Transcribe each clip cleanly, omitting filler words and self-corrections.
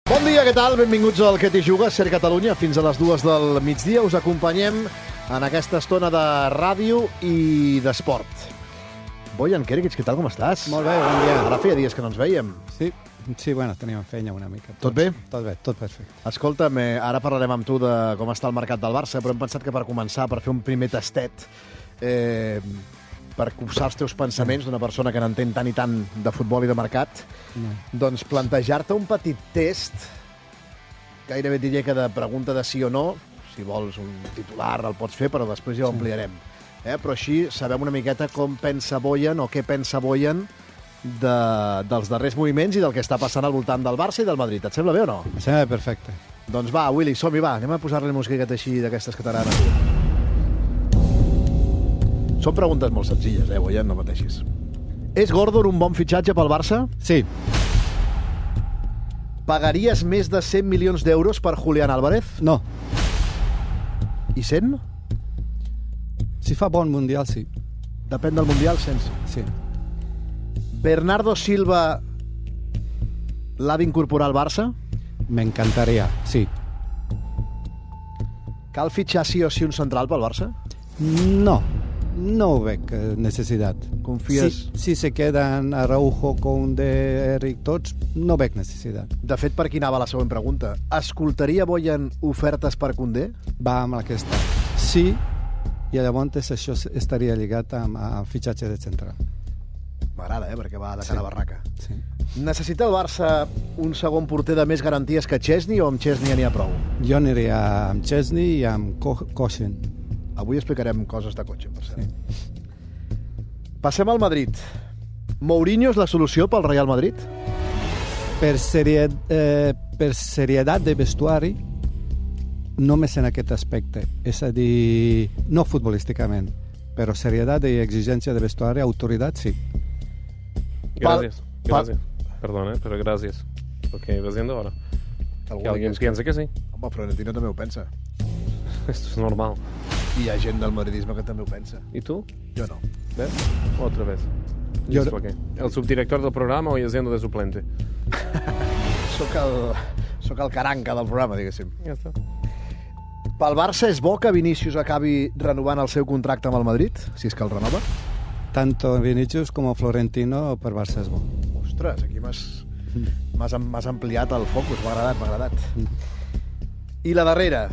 Bon dia, què tal? Benvinguts al Que t'hi jugues, Ser Catalunya. Fins a les 2 del migdia us acompanyem en aquesta estona de ràdio i d'esport. Bojan Kerikic, què tal, com estàs? Molt bé, bon dia. Ara feia dies que no ens veiem. Sí, bueno, teníem feina una mica. Tot bé? Tot bé, tot perfecte. Escolta'm, ara parlarem amb tu de com està el mercat del Barça, però hem pensat que per començar, per fer un primer tastet, per copsar els teus pensaments d'una persona que n'entén tant i tant de futbol i de mercat, doncs plantejar-te un petit test, gairebé diria que de pregunta de sí o no, si vols un titular el pots fer, però després ja ho ampliarem. Però així sabem una miqueta com pensa Bojan o què pensa Bojan dels darrers moviments i del que està passant al voltant del Barça i del Madrid. Et sembla bé o no? Em sembla perfecte. Doncs va, Willy, som-hi, va. Anem a posar-li musiqueta així d'aquestes que t'agraden. Són preguntes molt senzilles, Bojan, no pateixis. És Gordon un bon fitxatge pel Barça? Sí. Pagaries més de 100 milions d'euros per Julián Álvarez? No. I 100? Si fa bon Mundial, sí. Depèn del Mundial, sense. Sí. Bernardo Silva l'ha d'incorporar al Barça? M'encantaria, sí. Cal fitxar sí o sí un central pel Barça? No ho veig necessitat. Confies? Si se queden Araujo, Koundé, Eric, tots, no veig necessitat. De fet, per aquí anava la següent pregunta. Escoltaria Bojan ofertes per Koundé? Va amb aquesta. Sí, i llavors això estaria lligat amb el fitxatge de central. M'agrada, perquè va de cara a barraca. Sí. Necessita el Barça un segon porter de més garanties que Chesney o amb Chesney n'hi ha prou? Jo aniria amb Chesney i amb Kochen. Avui explicarem coses de cotxe, per cert. Sí. Passem al Madrid. Mourinho és la solució pel Real Madrid? Per serietat de vestuari, només en aquest aspecte. És a dir, no futbolísticament, però serietat i exigència de vestuari, autoritat, sí. Gracias. Perdón, pero gracias. Lo que iba haciendo ahora. Que alguien piense que sí. Home, Florentino també ho pensa. Esto es normal. I hi ha gent del madridisme que també ho pensa. ¿Y tú? Jo no. ¿Ves? Otra vez. Yo ¿Listo qué? ¿El subdirector del programa hoy haciendo de suplente? Soc el caranca del programa, diguéssim. Ja està. Pel Barça és bo que Vinícius acabi renovant el seu contracte amb el Madrid, si és que el renova? Tanto Vinicius com Florentino per Barça és bo. Ostres, aquí m'has ampliat el focus, m'ha agradat. I la darrera,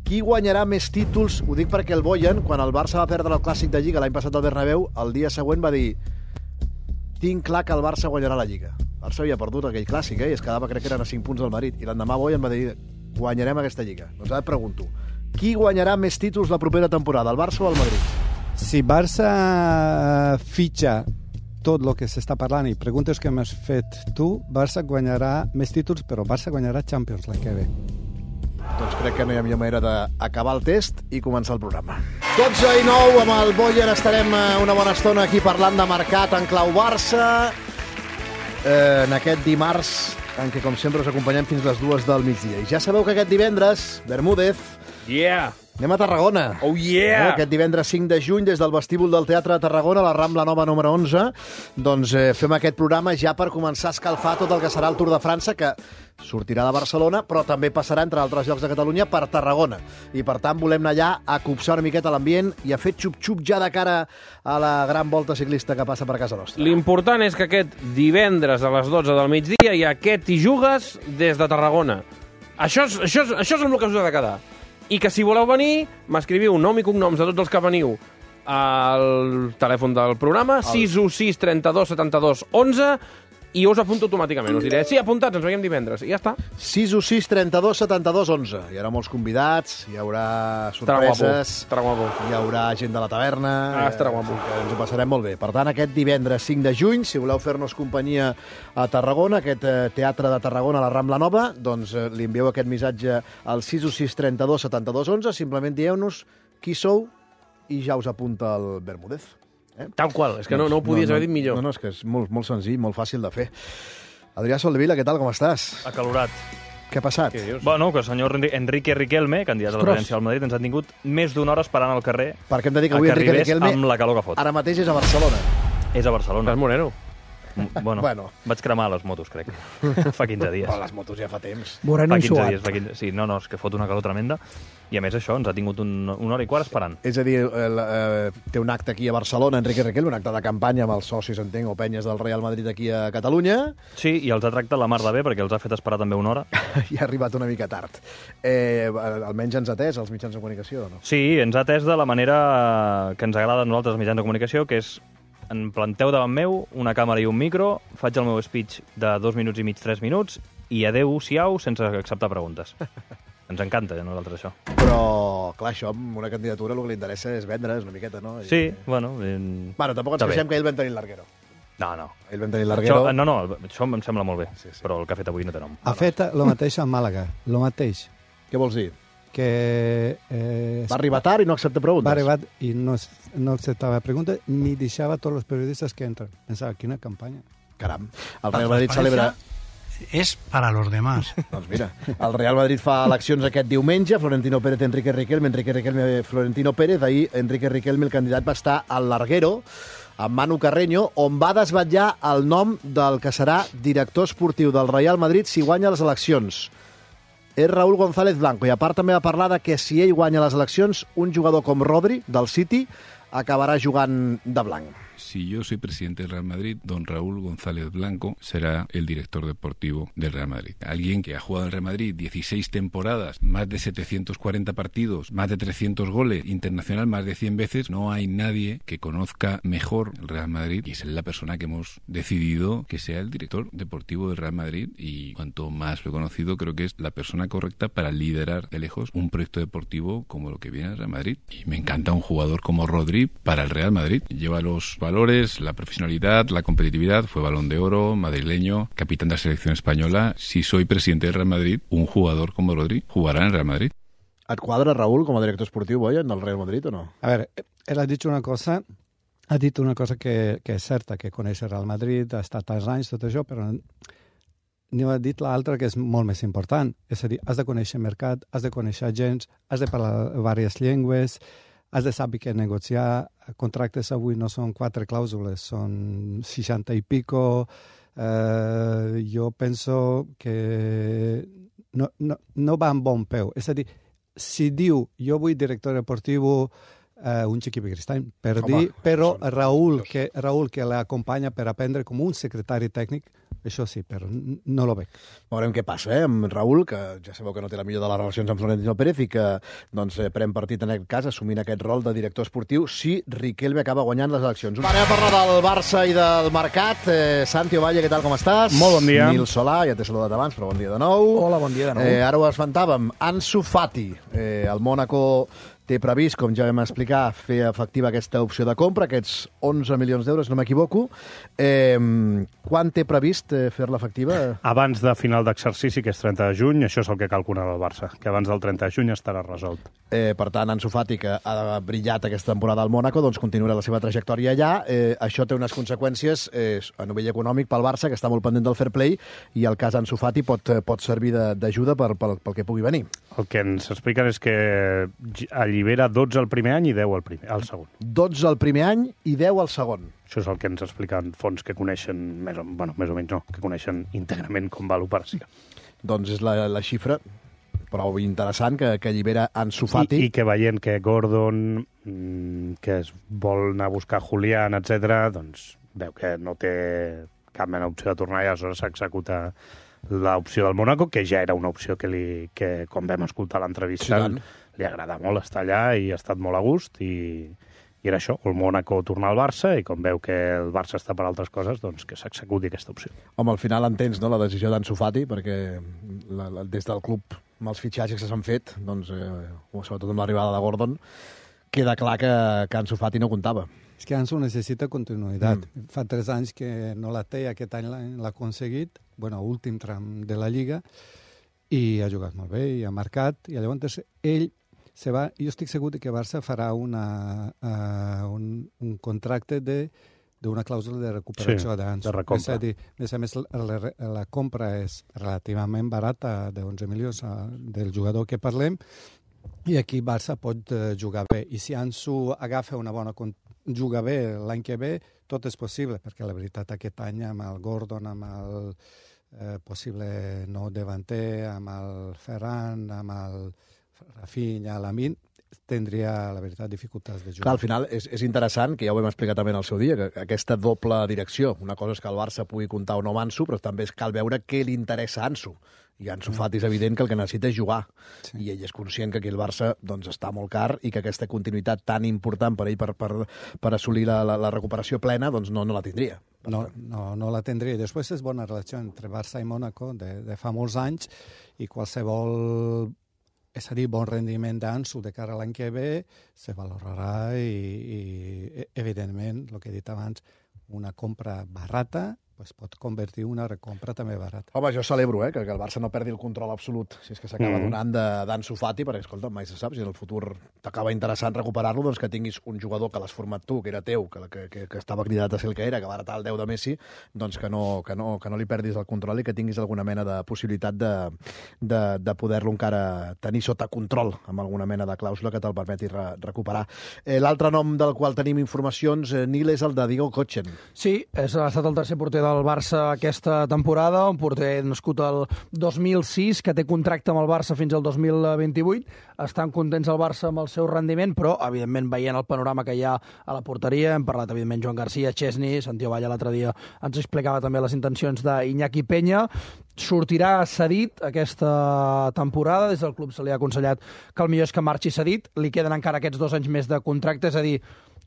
qui guanyarà més títols? Ho dic perquè el Bojan, quan el Barça va perdre el Clàssic de Lliga l'any passat al Bernabéu, el dia següent va dir: tinc clar que el Barça guanyarà la Lliga. El Barça havia perdut aquell Clàssic, i es quedava, crec que eren a 5 punts del Madrid, i l'endemà Bojan va dir: guanyarem aquesta Lliga. Doncs ara et pregunto, qui guanyarà més títols la propera temporada, el Barça o el Madrid? Si Barça fitxa tot el que s'està parlant i preguntes que m'has fet tu, Barça guanyarà més títols, però Barça guanyarà Champions l'any que ve. Doncs crec que no hi ha millor manera d'acabar el test i començar el programa. 12:09, amb el Bojan estarem una bona estona aquí parlant de mercat en clau Barça, en aquest dimarts en què, com sempre, us acompanyem fins les 2 del migdia. I ja sabeu que aquest divendres, Bermúdez, anem a Tarragona. Oh, yeah! Aquest divendres 5 de juny, des del vestíbul del Teatre de Tarragona, a la Rambla Nova número 11, doncs fem aquest programa ja per començar a escalfar tot el que serà el Tour de França, que sortirà de Barcelona, però també passarà, entre altres llocs de Catalunya, per Tarragona. I, per tant, volem anar allà a copsar una miqueta l'ambient i a fer xup-xup ja de cara a la gran volta ciclista que passa per casa nostra. L'important és que aquest divendres a les 12 del migdia hi ha aquest T'hi jugues des de Tarragona. Això és amb el que us ha de quedar. I que si voleu venir, m'escriviu nom i cognoms de tots els que veniu al telèfon del programa, 616 32 72 11, i us apunto automàticament. Us diré, sí, apuntats, ens veiem divendres, i ja està. 616 32 72 11. Hi haurà molts convidats, hi haurà sorpreses, Estarà guapo. hi haurà gent de la taverna, Estarà guapo. ens ho passarem molt bé. Per tant, aquest divendres 5 de juny, si voleu fer-nos companyia a Tarragona, aquest Teatre de Tarragona a la Rambla Nova, doncs li envieu aquest missatge al 616 32 72 11, simplement dieu-nos qui sou i ja us apunta el Bermúdez. Tal qual, és que no ho podies haver dit millor. No, és que és molt senzill, molt fàcil de fer. Adrià Soldevila, què tal, com estàs? Acalorat. Què ha passat? Què dius? Bueno, que el senyor Enrique Riquelme, candidat a la presidència del Madrid, ens ha tingut més d'una hora esperant al carrer Perquè hem de dir que avui Enrique Riquelme amb la calor que fot. ara mateix és a Barcelona. És a Barcelona. Estàs moreno. Bueno, vaig cremar les motos, crec. Fa 15 dies. Però les motos ja fa temps. Moreno Fa i 15 suat. dies. Sí, no, és que fot una calor tremenda. I a més això, ens ha tingut una hora i quart esperant. És a dir, té un acte aquí a Barcelona, Enrique Riquelme, un acte de campanya amb els socis, entenc, o penyes del Real Madrid aquí a Catalunya. Sí, i els ha tractat la mar de bé, perquè els ha fet esperar també una hora. I ha arribat una mica tard. Almenys ens ha atès els mitjans de comunicació, no? Sí, ens ha atès de la manera que ens agrada a nosaltres, els mitjans de comunicació, que és em planteu davant meu una càmera i un micro, faig el meu speech de 2 minuts i mig, 3 minuts, i adeu-siau sense acceptar preguntes. Ens encanta a nosaltres això. Però, clar, això amb una candidatura el que li interessa és vendre, és una miqueta, no? Sí, bueno... Bueno, tampoc ens queixem que ell vam tenir l'arguero. No. Ell vam tenir l'arguero. Això em sembla molt bé, sí. Però el que ha fet avui no té nom. Ha fet el mateix a Màlaga, el mateix. Què vols dir? Que va arribar tard i no accepta preguntes. Va arribar i no acceptava preguntes ni deixava tots els periodistes que entren. Pensava, quina campanya. Caram, el Real Madrid celebra... Es para los demás. Doncs mira, el Real Madrid fa eleccions aquest diumenge, Florentino Pérez, Enrique Riquelme, Florentino Pérez. Ahir Enrique Riquelme, el candidat, va estar al Larguero, amb Manu Carreño, on va desvetllar el nom del que serà director esportiu del Real Madrid si guanya les eleccions. És Raúl González Blanco, i a part també va parlar de que si ell guanya les eleccions, un jugador com Rodri, del City, acabará jugant de blanc. Si yo soy presidente del Real Madrid, don Raúl González Blanco será el director deportivo del Real Madrid. Alguien que ha jugado en el Real Madrid 16 temporadas, más de 740 partidos, más de 300 goles, internacional más de 100 veces. No hay nadie que conozca mejor el Real Madrid y es la persona que hemos decidido que sea el director deportivo del Real Madrid, y cuanto más lo he conocido, creo que es la persona correcta para liderar de lejos un proyecto deportivo como lo que viene el Real Madrid. Y me encanta un jugador como Rodri para el Real Madrid. Lleva los valores, la profesionalidad, la competitividad, fue Balón de Oro, madrileño, capitán de la selección española. Si soy presidente del Real Madrid, un jugador como Rodri jugará en el Real Madrid. Et quadra, Raúl, com a director esportiu, Boyan, del Real Madrid o no? A veure, ell ha dit una cosa que és certa, que coneix el Real Madrid, ha estat tants anys, tot això, però n'hi ha dit l'altra que és molt més important. És a dir, has de conèixer mercat, has de conèixer agents, has de parlar diverses llengües, has de saber què negociar. Contractes avui no són 4 clàusules, són 60 i pico. Jo penso que no va amb bon peu. És a dir, si diu jo vull director deportiu, un xiquip cristany, però Raúl, que l'acompanya per aprendre com un secretari tècnic, això sí, però no lo veig. Veurem què passa, amb Raúl, que ja sabeu que no té la millor de les relacions amb Florentino Pérez i que doncs, pren partit en aquest cas, assumint aquest rol de director esportiu, si Riquelme acaba guanyant les eleccions. Anem a parlar del Barça i del mercat. Santi Ovalle, què tal, com estàs? Molt bon dia. Nil Solà, ja t'he saludat abans, però bon dia de nou. Hola, bon dia de nou. Ara ho esmentàvem. Ansu Fati, el Mónaco té previst, com ja vam explicar, fer efectiva aquesta opció de compra, aquests 11 milions d'euros, no m'equivoco. Quan té previst fer-la efectiva? Abans de final d'exercici, que és 30 de juny, això és el que calcula el Barça, que abans del 30 de juny estarà resolt. Per tant, Ansu Fati, que ha brillat aquesta temporada al Mónaco, doncs continuarà la seva trajectòria allà. Això té unes conseqüències a nivell econòmic pel Barça, que està molt pendent del fair play, i el cas Ansu Fati pot servir d'ajuda pel que pugui venir. El que ens expliquen és que allibera 12 el primer any i 10 al segon. 12 el primer any i 10 al segon. Això és el que ens expliquen fons que coneixen, més o menys no, que coneixen íntegrament com va l'operació. Doncs és la xifra prou interessant que allibera Ansu Fati. I que veient que Gordon, que es vol anar a buscar Julián, etc., doncs veu que no té cap mena d'opció de tornar i aleshores s'executa l'opció del Mónaco, que ja era una opció que com vam escoltar l'entrevista, li agrada molt estar allà i ha estat molt a gust, i era això, el Mónaco tornar al Barça, i com veu que el Barça està per altres coses, doncs que s'executi aquesta opció. Home, al final entens, no?, la decisió d'Ansu Fati, perquè des del club, amb els fitxatges que s'han fet, doncs, sobretot amb l'arribada de Gordon, queda clar que Ansu Fati no comptava. És que Ansu necessita continuïtat. Fa 3 anys que no la té, aquest any l'ha aconseguit, últim tram de la Lliga, i ha jugat molt bé, i ha marcat, i llavors ell se va. Jo estic segur que Barça farà un contracte d'una clàusula de recuperació d'Ansu. De recompra. És a més, la compra és relativament barata, de 11 milions del jugador que parlem, i aquí Barça pot jugar bé. I si Ansu agafa una bona juga bé l'any que ve, tot és possible, perquè la veritat aquest any amb el Gordon, amb el possible nou davanter, amb el Ferran, amb el Rafinha, l'Amin, tindria, la veritat, dificultats de jugar. Clar, al final és interessant, que ja ho hem explicat també en el seu dia, que aquesta doble direcció, una cosa és que el Barça pugui comptar o no amb Ansu, però també cal veure què li interessa a Ansu. I Ansu Fati és evident que el que necessita és jugar. Sí. I ell és conscient que aquí el Barça doncs, està molt car i que aquesta continuïtat tan important per ell per assolir la recuperació plena doncs no la tindria. No la tindria. Després és bona relació entre Barça i Mónaco de fa molts anys i qualsevol, és a dir, bon rendiment d'Ansu de cara a l'any que ve se valorarà i evidentment, el que he dit abans, una compra barata pues pot convertir una recompra també barata. Home, jo celebro que el Barça no perdi el control absolut, si és que s'acaba donant d'Ansu Fati, perquè, escolta, mai se sap, si en el futur t'acaba interessant recuperar-lo, doncs que tinguis un jugador que l'has format tu, que era teu, que estava cridat a ser el que era, que va heretar el 10 de Messi, doncs que no li perdis el control i que tinguis alguna mena de possibilitat de poder-lo encara tenir sota control, amb alguna mena de clàusula que te'l permeti recuperar. L'altre nom del qual tenim informacions, Nil, és el de Diego Kochen. Sí, ha estat el tercer porter del Barça aquesta temporada, un porter nascut el 2006, que té contracte amb el Barça fins al 2028. Estan contents el Barça amb el seu rendiment, però, evidentment, veient el panorama que hi ha a la porteria, hem parlat, evidentment, Joan Garcia, Chesney, Santiago Valla l'altre dia ens explicava també les intencions d'Iñaki Peña. Sortirà cedit aquesta temporada, des del club se li ha aconsellat que el millor és que marxi cedit, li queden encara aquests 2 anys més de contracte, és a dir,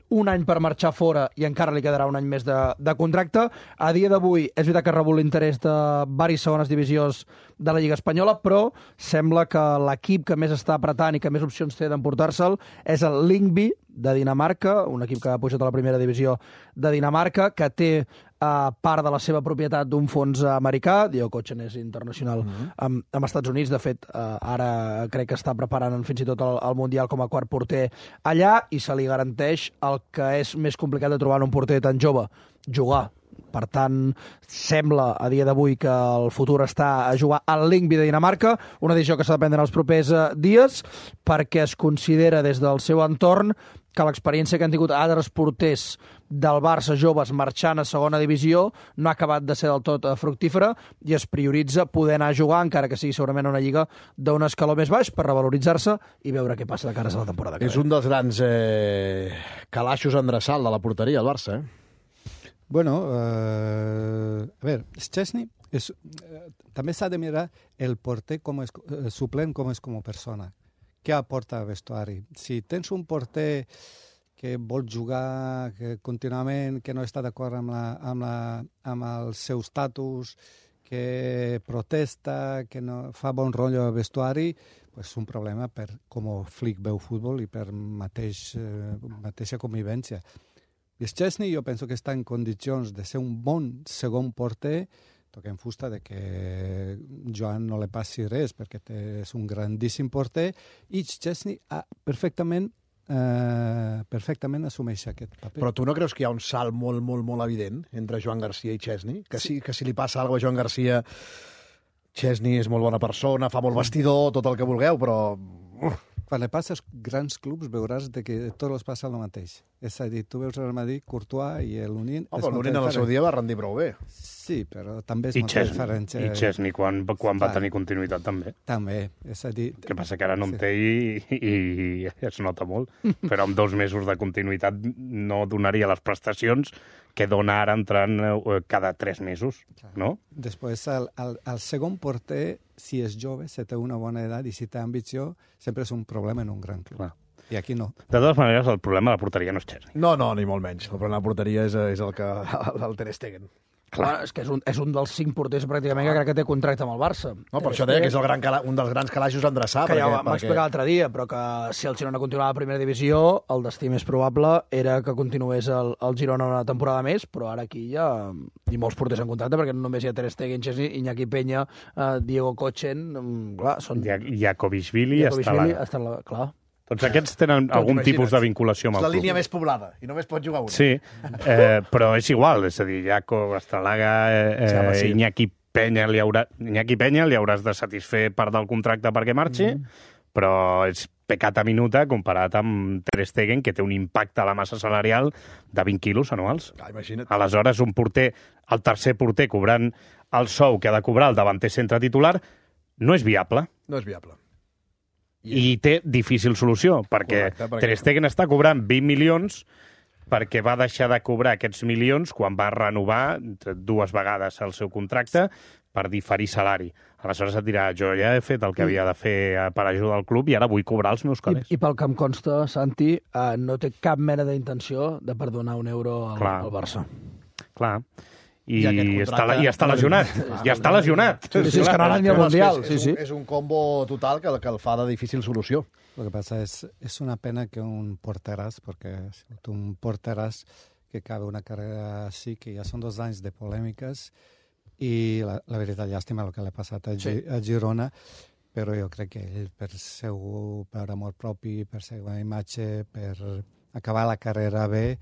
un any per marxar fora i encara li quedarà un any més de contracte. A dia d'avui és veritat que ha rebut l'interès de diverses segones divisions de la Lliga Espanyola, però sembla que l'equip que més està apretant i que més opcions té d'emportar-se'l és el Lyngby de Dinamarca, un equip que ha pujat a la primera divisió de Dinamarca, que té part de la seva propietat d'un fons americà. Diego Kochen és internacional amb Estats Units. De fet, ara crec que està preparant fins i tot el Mundial com a quart porter allà, i se li garanteix el que és més complicat de trobar en un porter tan jove, jugar. Per tant, sembla a dia d'avui que el futur està a jugar al Lyngby de Dinamarca, una decisió que s'ha de prendre els propers dies, perquè es considera des del seu entorn que l'experiència que han tingut altres porters del Barça joves marxant a segona divisió no ha acabat de ser del tot fructífera i es prioritza poder anar a jugar, encara que sigui segurament una lliga d'un escaló més baix, per revaloritzar-se i veure què passa de cara a la temporada que ve. És un dels grans calaixos endreçal de la porteria, el Barça, Bueno, a veure, Chesney també s'ha de mirar el porter suplent com és com a persona. Què aporta al vestuari? Si tens un porter que vol jugar contínuament, que no està d'acord amb el seu estatus, que protesta, que no fa bon rotllo al vestuari, és un problema per com Flick veu futbol i per mateixa convivència. I Chesney jo penso que està en condicions de ser un bon segon porter, toquem fusta de que Joan no li passi res, perquè és un grandíssim porter, i Chesney perfectament assumeix aquest paper. Però tu no creus que hi ha un salt molt, molt, molt evident entre Joan Garcia i Chesney? Que si li passa alguna cosa a Joan Garcia, Chesney és molt bona persona, fa molt vestidor, tot el que vulgueu, però... Quan li passa als grans clubs veuràs que tot els passa el mateix. És a dir, tu veus el Madrid, Courtois i l'Union... però l'Union en el seu dia va rendir prou bé. Sí, però també és molt diferent. I Chesney, quan va tenir continuïtat, també. També, és a dir... El que passa que ara no en té i es nota molt, però amb 2 mesos de continuïtat no donaria les prestacions que dona ara entrant cada 3 mesos, no? Després, el segon porter, si és jove, si té una bona edat i si té ambició, sempre és un problema en un gran club. Clar. I aquí no. De totes maneres, el problema de la porteria no és Chesney. No, ni molt menys. El problema de la porteria és el Ter Stegen. Clar, és que és un dels 5 porters pràcticament que crec que té contracte amb el Barça. No, per això deia que és un dels grans calaixos a endreçar. Que ja ho vam explicar l'altre dia, però que si el Girona continuava a la primera divisió, el destí més probable era que continués el Girona una temporada més, però ara aquí hi ha molts porters en contracte, perquè no només hi ha Ter Stegen, Chesney, Iñaki Peña, Diego Kochen, clar, són... Jakovishvili està là. Clar. Tots aquests tenen algun tipus de vinculació amb el club. És la línia més poblada, i només pot jugar un. Sí, però és igual, és a dir, Jaco, Estralaga, Iñaki Peña li hauràs de satisfer part del contracte perquè marxi, però és peccata minuta comparat amb Ter Stegen, que té un impacte a la massa salarial de 20 quilos anuals. Imagina't. Aleshores, un porter, el tercer porter, cobrant el sou que ha de cobrar el davanter centre titular, no és viable. No és viable. I té difícil solució, perquè Ter Stegen està cobrant 20 milions perquè va deixar de cobrar aquests milions quan va renovar 2 vegades el seu contracte per diferir salari. Aleshores et dirà, jo ja he fet el que havia de fer per ajudar al club i ara vull cobrar els meus calés. I pel que em consta, Santi, no té cap mena d'intenció de perdonar un euro al Barça. Clar. I està lesionat. Ja està lesionat. Sí, és que no ha anat ni al Mundial. És un combo total que el fa de difícil solució. Lo que pasa es una pena que un porteras, porque un porteras que cabe una carrera así, que ya son 2 anys de polèmiques, i la veritat, llàstima el que l'ha passat a Girona, però jo crec que ell, per amor propi, per seva imatge, per acabar la carrera bé,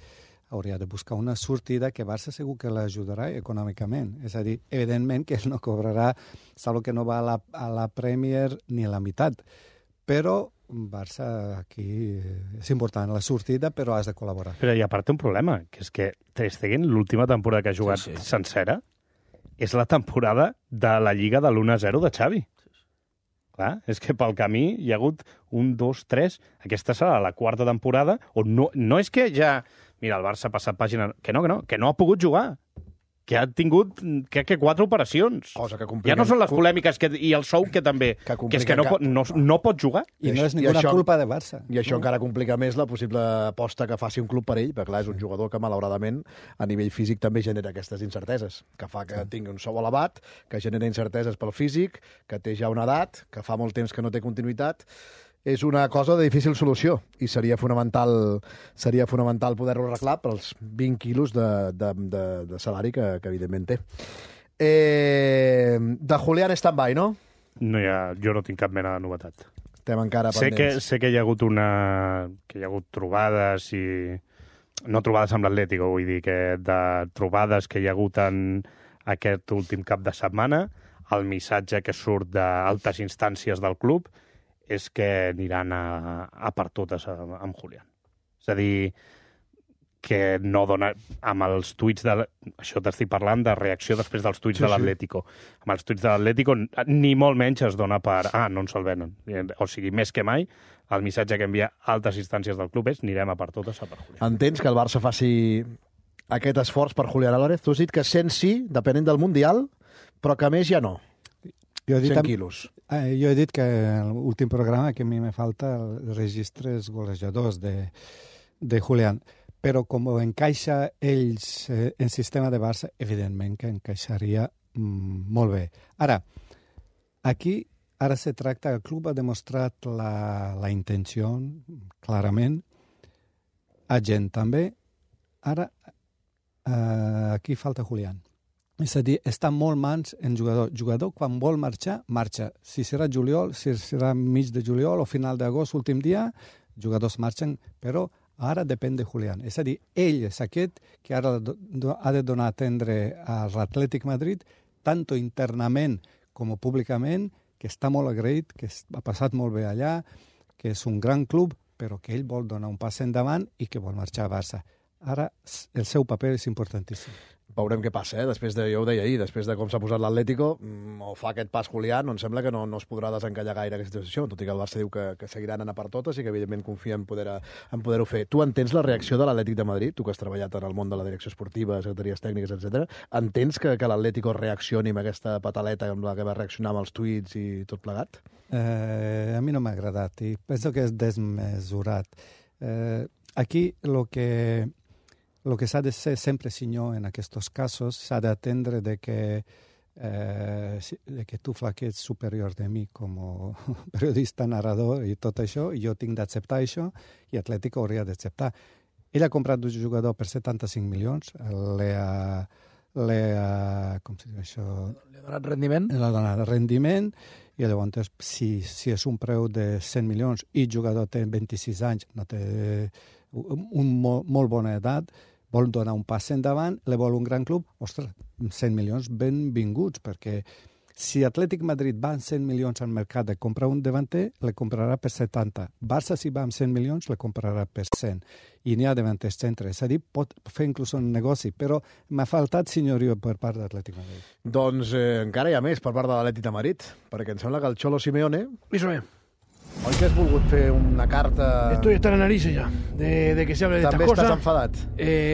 hauria de buscar una sortida que Barça segur que l'ajudarà econòmicament. És a dir, evidentment que ell no cobrarà, salvo que no va a la Premier ni a la meitat, però Barça aquí és important la sortida, però has de col·laborar. Però i a part té un problema, que és que Ter Stegen, l'última temporada que ha jugat sencera, és la temporada de la Lliga de l'1-0 de Xavi. Clar, és que pel camí hi ha hagut 1, 2, 3... Aquesta serà la 4ª temporada on no és que ja... Mira, el Barça ha passat pàgina... Que no ha pogut jugar. Que ha tingut, crec que 4 operacions. Cosa que ja no són les polèmiques i el sou que també... Que és que no pot jugar. I no és ninguna culpa de Barça. I això encara complica més la possible aposta que faci un club per ell, perquè clar, és un jugador que malauradament a nivell físic també genera aquestes incerteses, que fa que tingui un sou elevat, que genera incerteses pel físic, que té ja una edat, que fa molt temps que no té continuïtat. És una cosa de difícil solució i seria fonamental poder-lo arreglar pels 20 quilos de salari que evidentment té. De Julián stand-by, no? Jo no tinc cap mena de novetat. Estem encara pendents. Sé que hi ha hagut trobades i... No trobades amb l'Atlético, vull dir que de trobades que hi ha hagut en aquest últim cap de setmana, el missatge que surt d'altes instàncies del club és que aniran a per totes amb Julián. És a dir, que no dona... Amb els tuits de... Això t'estic parlant de reacció després dels tuits de l'Atlético. Amb els tuits de l'Atlético ni molt menys es dona per... no ens el venen. O sigui, més que mai, el missatge que envia altes instàncies del club és anirem a per totes a per Julián. Entens que el Barça faci aquest esforç per Julián Álvarez? Tu has dit que 100 sí, depenent del Mundial, però que més ja no. 100 quilos. Jo he dit que en l'últim programa que a mi me falta els registres golejadors de Julián, però com encaixa ells en sistema de Barça, evidentment que encaixaria molt bé. Ara se tracta, el club ha demostrat la intenció, clarament, a gent també. Ara, aquí falta Julián. És a dir, està molt mans en jugador. Jugador, quan vol marxar, marxa. Si serà juliol, si serà mig de juliol o final d'agost, últim dia, jugadors marxen, però ara depèn de Julián. És a dir, ell és aquest que ara ha de donar a atendre a l'Atlètic Madrid, tant internament com públicament, que està molt agraït, que ha passat molt bé allà, que és un gran club, però que ell vol donar un pas endavant i que vol marxar a Barça. Ara, el seu paper és importantíssim. Veurem què passa, Després de, jo ho deia ahir, després de com s'ha posat l'Atlético, o fa aquest pas Julián, em sembla que no es podrà desencallar gaire aquesta situació, tot i que el Barça diu que seguiran anant per totes i que evidentment confia en poder-ho fer. Tu entens la reacció de l'Atlètic de Madrid, tu que has treballat en el món de la direcció esportiva, secretaries tècniques, etc. Entens que l'Atlético reaccioni amb aquesta pataleta amb la que va reaccionar amb els tuits i tot plegat? A mi no m'ha agradat i penso que és desmesurat. Aquí lo que s'ha de ser sempre, senyor, en aquests casos, s'ha d'atendre de que tu flaquets superior de mi com a periodista, narrador i tot això, i jo tinc d'acceptar això, i Atlético hauria d'acceptar. Ell ha comprat un jugador per 75 milions, com se diu això? Li ha donat rendiment? Li ha donat rendiment, i llavors, si és un preu de 100 milions i el jugador té 26 anys, no té molt bona edat, vol donar un pas endavant, li vol un gran club, ostres, 100 milions benvinguts, perquè Si Atlètic Madrid va amb 100 milions al mercat de comprar un davanter, le comprarà per 70. Barça, si va amb 100 milions, le comprarà per 100. I n'hi ha davanters centres. És a dir, pot fer inclús un negoci, però m'ha faltat senyorio per part d'Atlètic Madrid. Doncs encara hi ha més per part de l'Atlètic de Madrid, perquè em sembla que el Cholo Simeone... Eso es. Oi que has volgut fer una carta... Estoy hasta la nariz ya de que se hable de estas També cosas. estàs enfadat.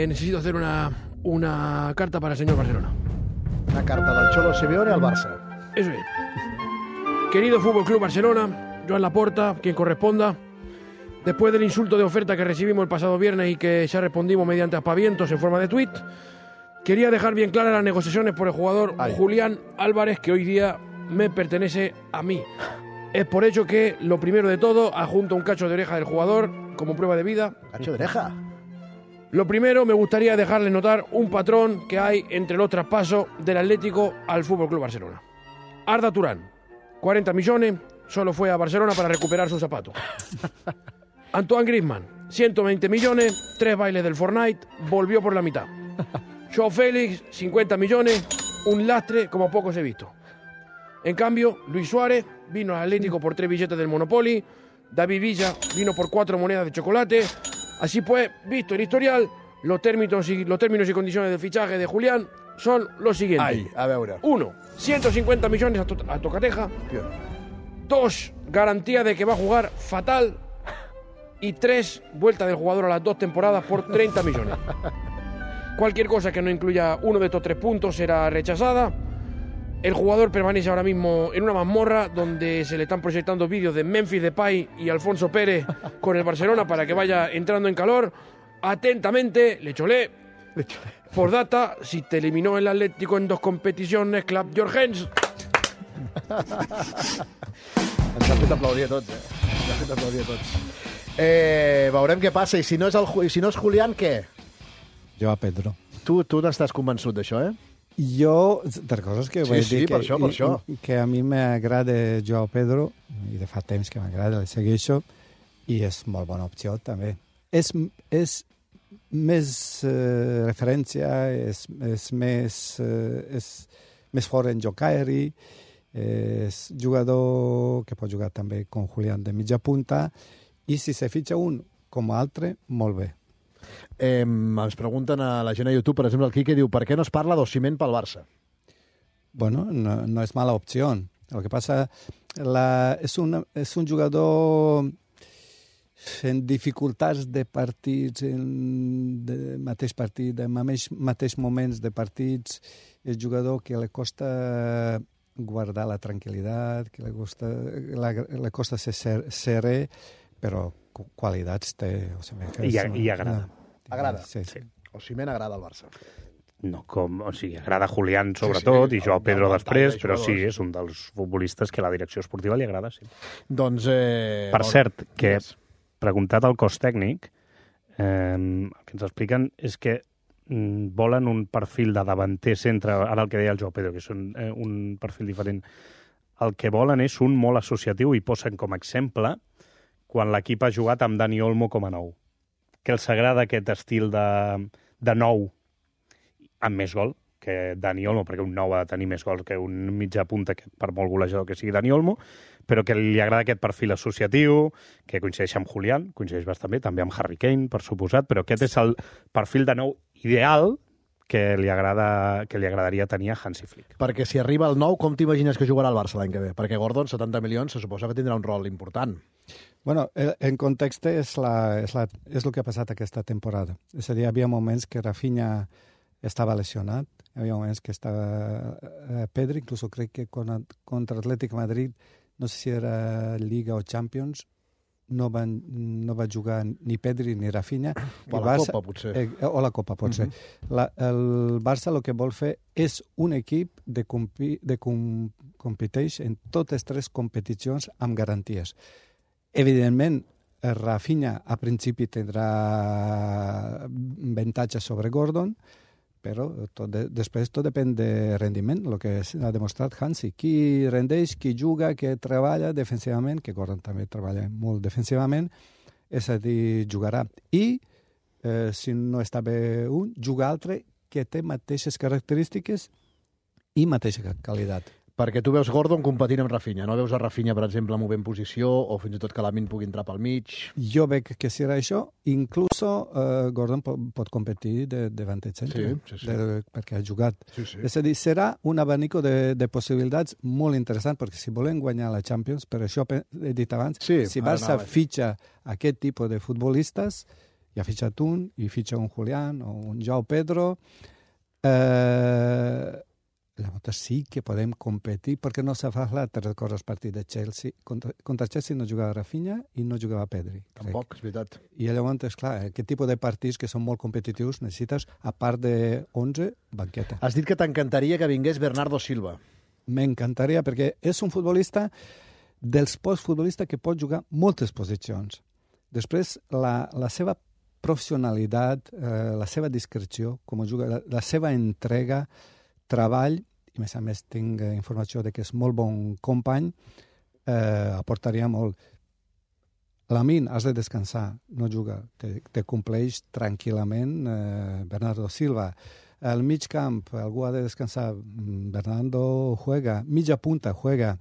Necesito hacer una carta para el señor Barcelona. Una carta del Cholo Simeone al Barça. Eso es. Querido Fútbol Club Barcelona, Joan Laporta, quien corresponda, después del insulto de oferta que recibimos el pasado viernes y que ya respondimos mediante aspavientos en forma de tuit, quería dejar bien claras las negociaciones por el jugador Julián Álvarez, que hoy día me pertenece a mí. Es por ello que, lo primero de todo, adjunto un cacho de oreja del jugador como prueba de vida. ¿Cacho de oreja? Lo primero, me gustaría dejarle notar un patrón que hay entre los traspasos del Atlético al Fútbol Club Barcelona. Arda Turán, 40 millones, solo fue a Barcelona para recuperar su zapato. Antoine Griezmann, 120 millones, 3 bailes del Fortnite, volvió por la mitad. Joao Félix, 50 millones, un lastre como pocos he visto. En cambio, Luis Suárez vino al Atlético por 3 billetes del Monopoly, David Villa vino por 4 monedas de chocolate. Así pues, visto el historial, los términos y condiciones del fichaje de Julián son los siguientes. Ai, a veure. 1. 150 millones a Tocateja. 2. Garantía de que va a jugar fatal. Y 3. Vuelta del jugador a las 2 temporadas por 30 millones. Cualquier cosa que no incluya uno de estos 3 puntos será rechazada. El jugador permanece ahora mismo en una mazmorra donde se le están proyectando vídeos de Memphis Depay y Alfonso Pérez con el Barcelona para que vaya entrando en calor. Atentamente, Lecholé. Por data, si te eliminó el Atlético en 2 competiciones, Club Jorgens. Ens ha fet aplaudir a tots, Ens ha fet aplaudir a tots. Veurem què passa. I si no és Julián, què? Jo a Pedro. Tu n'estàs convençut d'això, Jo, per coses que vaig dir per això. Que a mi m'agrada Joao Pedro, i de fa temps que m'agrada, el segueixo, i és molt bona opció, també. És més referència, és més fort en joc aeri, és jugador que pot jugar també com Julián de mitja punta, i si se fitxa un com altre, molt bé. Ens pregunten a la gent a YouTube, per exemple, el Quique diu per què no es parla d'Osimhen pel Barça? Bueno, no és mala opció. El que passa és un jugador en dificultats de partits, de mateix partit, en mateix moments de partits, és jugador que li costa guardar la tranquil·litat, que li costa ser serè, però qualitats té. I agrada. Agrada? Sí. Osimhen agrada al Barça. No, agrada Julián sobretot, i Joao Pedro després, però sí, és un dels futbolistes que la direcció esportiva li agrada, sí. Doncs... Per cert, que preguntat al cos tècnic, el que ens expliquen és que volen un perfil de davanter centre, ara el que deia el Joao Pedro, que és un perfil diferent. El que volen és un molt associatiu, i posen com a exemple quan l'equip ha jugat amb Dani Olmo com a nou. Que els agrada aquest estil de nou amb més gol que Dani Olmo, perquè un nou ha de tenir més gols que un mitjà punta, que per molt golejador que sigui Dani Olmo, però que li agrada aquest perfil associatiu, que coincideix amb Julián, coincideix bastant bé, també amb Harry Kane, per suposat, però aquest és el perfil de nou ideal que li agradaria tenir a Hansi Flick. Perquè si arriba el nou, com t'imagines que jugarà el Barça l'any que ve? Perquè Gordon, 70 milions, se suposa que tindrà un rol important. Bueno, en context és el que ha passat aquesta temporada. És a dir, hi havia moments que Rafinha estava lesionat, hi havia moments que estava Pedri, inclús crec que contra Atlètic Madrid, no sé si era Liga o Champions, no va jugar ni Pedri ni Rafinha. O la Copa, potser. O la Copa, potser. El Barça el que vol fer és un equip de competeix en totes 3 competicions amb garanties. Evidentment, Rafinha a principi tindrà avantatge sobre Gordon, però després tot depèn de rendiment, el que ha demostrat Hansi. Qui rendeix, qui juga, qui treballa defensivament, que Gordon també treballa molt defensivament, és a dir, jugarà. I, si no està bé un, juga altre que té mateixes característiques i mateixa qualitat. Perquè tu veus Gordon competint amb Rafinha. No veus a Rafinha, per exemple, movent posició o fins i tot que Lamine pugui entrar pel mig. Jo veig que serà això. Incluso Gordon pot competir davant del centre. Sí. Perquè ha jugat. Sí. És a dir, serà un abanico de possibilitats molt interessant, perquè si volen guanyar la Champions, per això he dit abans, si Barça fitxa aquest tipus de futbolistes, ja ha fitxat un, i fitxa un Julián o un Joao Pedro, llavors sí que podem competir, perquè no s'ha fet l'altre cosa al partit de Chelsea. Contra Chelsea no jugava Rafinha i no jugava Pedri. Tampoc, és veritat. I llavors, esclar, aquest tipus de partits que són molt competitius necessites, a part de 11, banqueta. Has dit que t'encantaria que vingués Bernardo Silva. M'encantaria, perquè és un futbolista dels pocs futbolistes que pot jugar moltes posicions. Després, la seva professionalitat, la seva discreció, com juga, la seva entrega, treball, i a més tinc informació de que és molt bon company, aportaria molt. Lamine, has de descansar, no juga, te compleix tranquil·lament Bernardo Silva. Al mig camp, algú ha de descansar, Bernardo juega, mitja punta juega,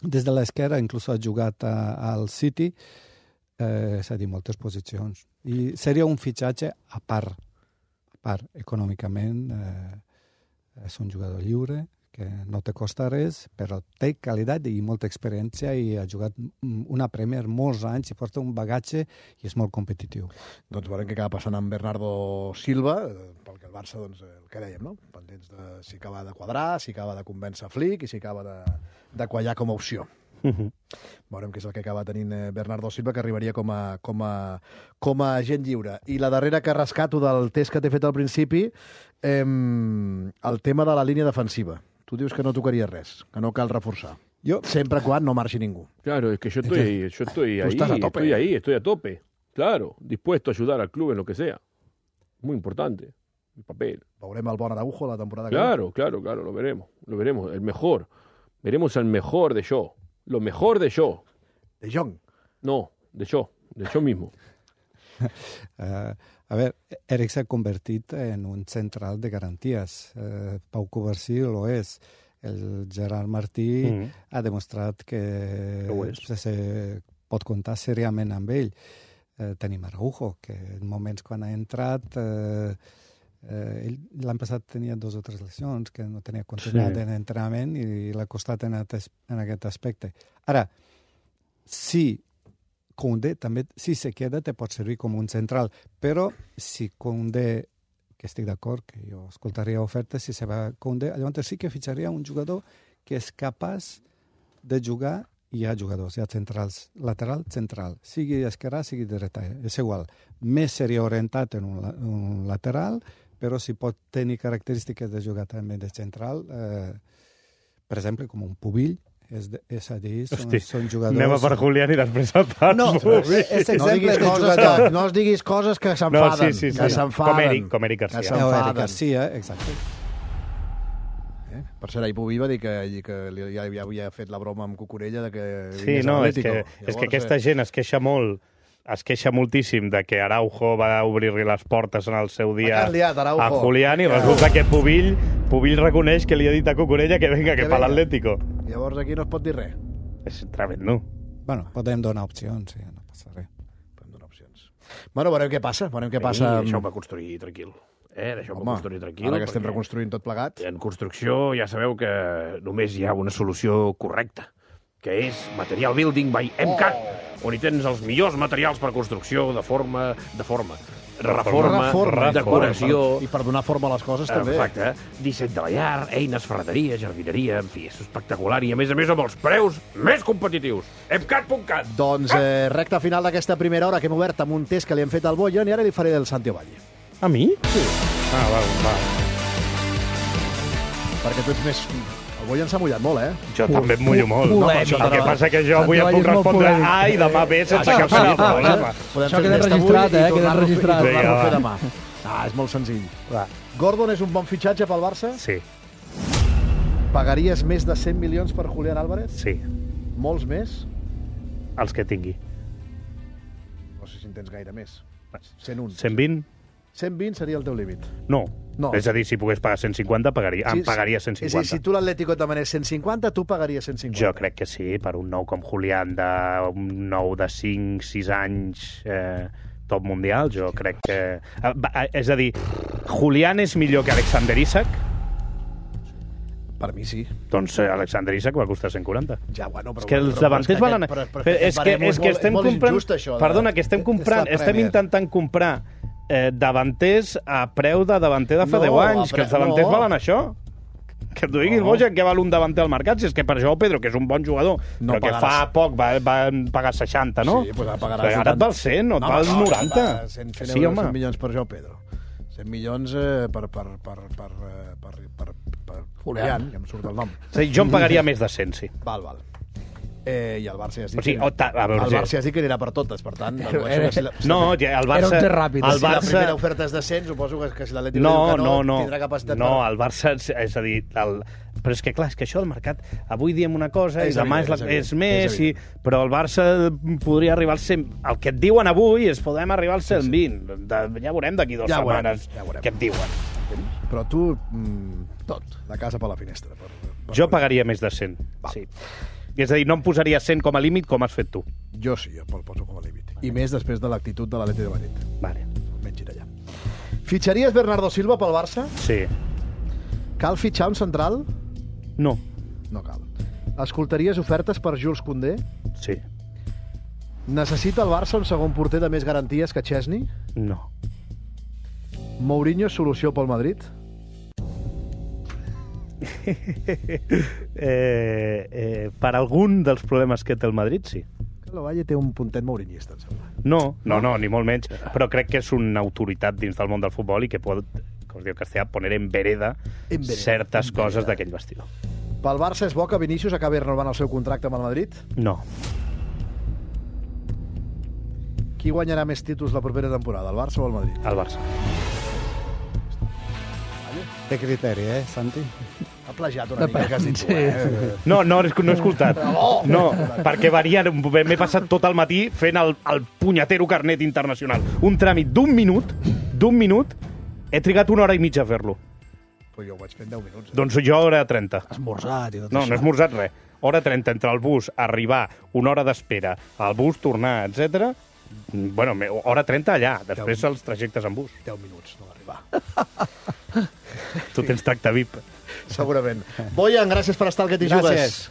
des de l'esquerra inclús ha jugat al City, és a dir, moltes posicions. I seria un fitxatge a part econòmicament, és un jugador lliure, que no te costa res, però té qualitat i molta experiència i ha jugat una Premier molts anys i porta un bagatge i és molt competitiu. Doncs veurem què acaba passant amb Bernardo Silva, pel que el Barça, doncs, el que dèiem, no? Pendents de si acaba de quadrar, si acaba de convèncer Flick i si acaba de quallar com a opció. Veurem què és el que acaba tenint Bernardo Silva, que arribaria com a agent lliure. I la darrera que rescato del test que t'he fet al principi, el tema de la línia defensiva. Tu dius que no tocaria res, que no cal reforçar. Sempre quan no marxi ningú. Claro, es que yo estoy ahí, estoy a tope. Claro, dispuesto a ayudar al club en lo que sea. Muy importante, el papel. Veurem el bon Araujo la temporada Claro, lo veremos, el mejor. Veremos al mejor de yo. Lo mejor de yo. ¿De Jong? No, de yo mismo. A ver, Eric s'ha convertit en un central de garanties. Pau Covarsí lo és. El Gerard Martí ha demostrat que se pot comptar seriament amb ell. Tenim Araujo, que en moments quan ha entrat... l'any passat tenia 2 o 3 lesions, que no tenia continuïtat en entrenament i l'ha costat en aquest aspecte. Ara, si Koundé també, si se queda, te pot servir com un central, però si Koundé, que estic d'acord, que jo escoltaria ofertes, si se va Koundé, llavors sí que fitxaria un jugador que és capaç de jugar. Hi ha jugadors, hi ha centrals, lateral, central, sigui esquerrà, sigui dreta, és igual. Més seria orientat en un lateral, però si pot tenir característiques de jugar també de central, per exemple, com un Pubill, és a dir, són jugadors... Anem a per Julián i després el pas. No, és exemple de jugador. No es diguis coses que s'enfaden. Sí. Que s'enfaden. Com Eric Garcia. Eric Garcia, exacte. Per cert, ahir Pubill va dir que ja havia fet la broma amb Cucurella de que sí, no, és que aquesta gent es queixa molt, es queixa moltíssim de que Araujo va obrir-li les portes en el seu dia a Julián i resulta que Pubill reconeix que li ha dit a Cucurella que venga, que per l'Atlético. Llavors aquí no es pot dir res. És tremendo. Bueno, podem donar opcions, sí, no passa res. Podem donar opcions. Bueno, veurem què passa. Deixeu-me construir tranquil. Deixeu-me construir tranquil. Ara que estem reconstruint tot plegat. En construcció ja sabeu que només hi ha una solució correcta, que és Material Building by MCAT, on hi tens els millors materials per construcció de forma, reforma, decoració... I per donar forma a les coses, també. Exacte. Disseny de la llar, eines, ferreteria, jardineria, en fi, és espectacular i, a més amb els preus més competitius. MCAT.cat. Doncs recta final d'aquesta primera hora que hem obert amb un test que li hem fet al Boyan i ara li faré del Santi Ovalle. A mi? Sí. Va. Perquè tu ets més... El Boyan s'ha mullat molt, Jo també em mullo molt. El que passa que jo avui em puc respondre A i demà B sense cap mena de problema. Això queda registrat, queda registrat. Tornar-ho a fer demà. És molt senzill. Gordon és un bon fitxatge pel Barça? Sí. Pagaries més de 100 milions per Julián Álvarez? Sí. Molts més? Els que tingui. No sé si en tens gaire més. 101. 120? 120 seria el teu límit. No, No. És a dir, si pogués pagar 150, em pagaria 150. És a dir, si tu l'Atlético et demanés 150, tu pagaries 150. Jo crec que sí, per un nou com Julián, un nou de 5-6 anys top mundial, jo crec que... És a dir, Julián és millor que Alexander Isak? Per mi sí. Doncs Alexander Isak va costar 140. Ja, bueno, però... És que els davanters valen... És que estem comprant... Perdona, que estem comprant... Estem intentant comprar davanters a preu de davanter de fa 10 anys, que els davanters valen això. Que t'ho digui el Bojan, que val un davanter al mercat, si és que per això Pedro, que és un bon jugador, però que fa poc va pagar 60, no? Sí, doncs pagaràs... Ara et val 100, no et val 90. 100 milions per Joao Pedro. 100 milions per Julián, que em surt el nom. Sí, jo em pagaria més de 100, sí. Val. I el Barça ja es diu, el Barça ja es diu que anirà per totes, per tant... No, el Barça... Era un té ràpid. Si la primera oferta és de 100, suposo que si l'Atlètic diu que no, tindrà capacitat per... No, el Barça, és a dir... Però és que, clar, és que això del mercat... Avui diem una cosa i demà és més, però el Barça podria arribar al 100... El que et diuen avui és podem arribar al 120. Ja veurem d'aquí 2 setmanes què et diuen. Però tu, tot, la casa per la finestra. Jo pagaria més de 100, sí. És a dir, no em posaria 100 com a límit com has fet tu. Jo sí, jo el poso com a límit. I més després de l'actitud de l'Atlètic de Madrid. Vale. Menys allà. Fitxaries Bernardo Silva pel Barça? Sí. Cal fitxar un central? No. No cal. Escoltaries ofertes per Jules Koundé? Sí. Necessita el Barça un segon porter de més garanties que Chesney? No. Mourinho és solució pel Madrid? Per algun dels problemes que té el Madrid, sí. El Valle té un puntet mourinhista, em sembla. No, ni molt menys. Però crec que és una autoritat dins del món del futbol i que pot, com es diu en castellà, poner en vereda certes coses d'aquell vestidor. Pel Barça és bo que Vinícius acabi renovant el seu contracte amb el Madrid? No. Qui guanyarà més títols la propera temporada, el Barça o el Madrid? El Barça. Té criteri, Santi? Ha plagiat una mica, que has dit tu, No he escoltat. No, perquè m'he passat tot el matí fent el punyetero carnet internacional. Un tràmit d'un minut, he trigat 1 hora i mitja a fer-lo. Però jo ho vaig fer en 10 minuts. Doncs jo hora 30. Esmorzat i tot No, això. no he esmorzat res. Hora 30 entre el bus, arribar, 1 hora d'espera, el bus, tornar, etc. Bueno, hora 30 allà, després els trajectes en bus. 10 minuts, no va arribar. Tu tens tracte VIP. Segurament. Bojan, gràcies per estar al Que t'hi jugues. Gràcies.